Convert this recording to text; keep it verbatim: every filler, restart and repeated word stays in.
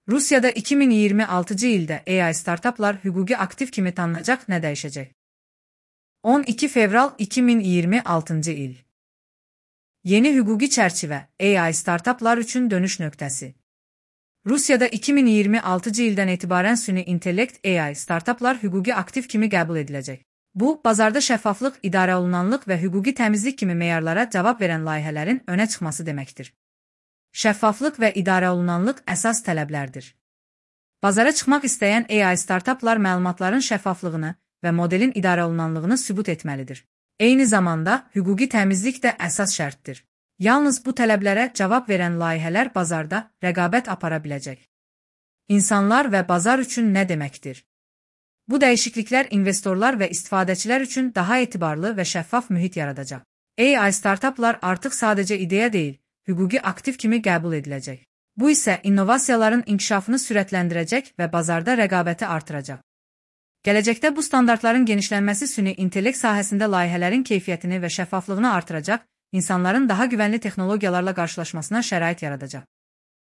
Rusiyada iki min iyirmi altıncı ildə A I startaplar hüquqi aktiv kimi tanınacaq, nə dəyişəcək? on iki fevral iki min iyirmi altıncı il. Yeni hüquqi çərçivə, A I startaplar üçün dönüş nöqtəsi. Rusiyada iki min iyirmi altıncı ildən etibarən süni intellekt A I startaplar hüquqi aktiv kimi qəbul ediləcək. Bu, bazarda şəffaflıq, idarə olunanlıq və hüquqi təmizlik kimi meyarlara cavab verən layihələrin önə çıxması deməkdir. Şəffaflıq və idarə olunanlıq əsas tələblərdir. Bazara çıxmaq istəyən A I startaplar məlumatların şəffaflığını və modelin idarə olunanlığını sübut etməlidir. Eyni zamanda, hüquqi təmizlik də əsas şərtdir. Yalnız bu tələblərə cavab verən layihələr bazarda rəqabət apara biləcək. İnsanlar və bazar üçün nə deməkdir? Bu dəyişikliklər investorlar və istifadəçilər üçün daha etibarlı və şəffaf mühit yaradacaq. A I startaplar artıq sadəcə ideya deyil, hüquqi aktiv kimi qəbul ediləcək. Bu isə innovasiyaların inkişafını sürətləndirəcək və bazarda rəqabəti artıracaq. Gələcəkdə bu standartların genişlənməsi süni intellekt sahəsində layihələrin keyfiyyətini və şəffaflığını artıracaq, insanların daha güvənli texnologiyalarla qarşılaşmasına şərait yaradacaq.